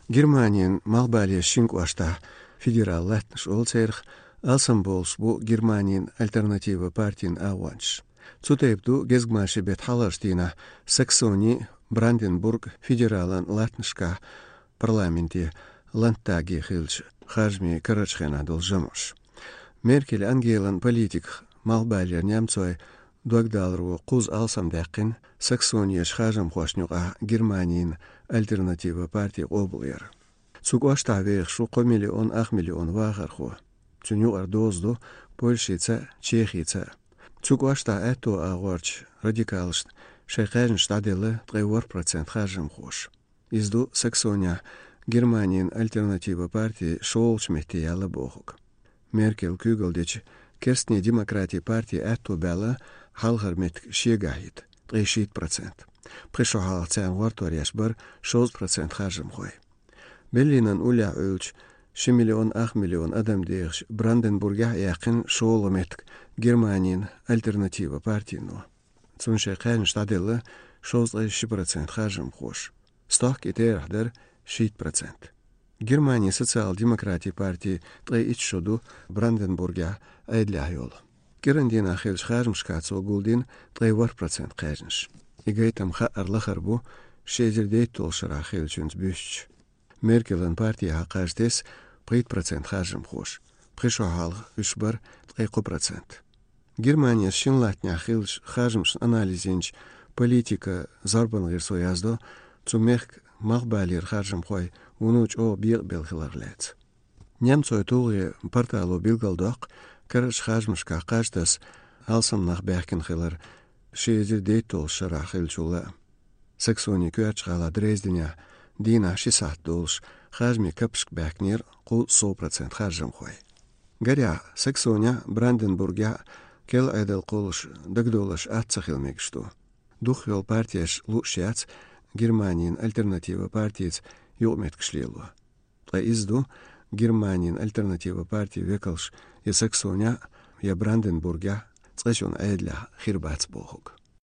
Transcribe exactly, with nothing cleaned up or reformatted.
Германин малхбале шин кӀоштахь федерал латтанаш олу церах, алсамбовлуш бу Германин альтернатива партин агӀончаш. Цу тайпа ду гезгмашин беттан хьалхарчу дийнахь Саксони, Бранденбург федералан латтанашкахь парламенте, Ландтаге хиллачу харжамийн карарчу хенахь долу жамӀаш. Меркель Ангелан политиках малхбалера немцойн догдаларо кхузза алсам даьккхина Саксонерчу харжамхошна юкъахь Германин альтернатива парти къобалъяр. Цу кӀоштахь вехаш ву кхо миллион ах миллион вахархо. Цуьнан юкъара доза ду Польшица, Чехица. Цу кӀоштахь аьтто агӀорчу радикалашна шайн кхаьжнаш дӀаделла ткъе ворхӀ процент харжамхоша. Иза ду Саксонехь Германин альтернатива парти шолгӀачу метте яьлла бохург. Меркель куьйгалла дечу керстанийн демократийн парти аьтто баьлла хьалхара меттиг шегахь йита, ткъе шийтта процент. Пхи шо хьалха царна гӀортор еш бара шовзткъа процент харжамхой. Берлинан уллехь Ӏуьллучу ши миллион ах миллион адам дехачу Бранденбургехь а яьккхина шолгӀа меттиг Германин альтернатива партино. Цунна шайн кхаьжнаш дӀаделла шовзткъе ши процент харжамхоша. Стохка и терахь дара шийтта процент. Германин социал-демократийн парти ткъе итт шо ду Бранденбургехь Ӏедалехь йолу. КӀиран дийнахь хиллачу харжамашкахь цо гулдина ткъе ворхӀ процент кхаьжнаш. И гайтам хаьара лахара бу ши эзар дейтталгӀачу шарахь хиллачуьнца буьстича. Меркелан партехьа кхаж тесна пхийтта процент харжамхоша, пхи шо хьалха уьш бара ткъе кхо процент. Германин шина латтанехь хиллачу харжамашна анализ йинчу «Политика» зорбанан гӀирсо яздо цу мехкан малхбалера харжамхой вуно чӀогӀа бекъабелла хилар лаьцна. Немцойн тулгӀе портало билгалдоккху карарчу харжамашкахь кхаж таса алсам нах баьхкина хилар ши эзар дейтталгӀачу шарахь хиллачул а. Саксонин коьртачу гӀала Дрезденехь дийнахь ши сахьт долуш харжамийн капашка баьхкинера кхузткъа сов процент харжамхой. Гарехь, Саксонехь а, Бранденбургехь а керла Ӏедал кхуллуш дагадовларш атта ца хила мегаш ду. Дукхах йолу партеш лууш яц Германин альтернатива партица юкъаметтигаш лело. Ткъа иза ду Германин альтернатива партин векалш я Саксонехь а, я Бранденбургехь а цкъачунна Ӏедалехь хир бац бохург.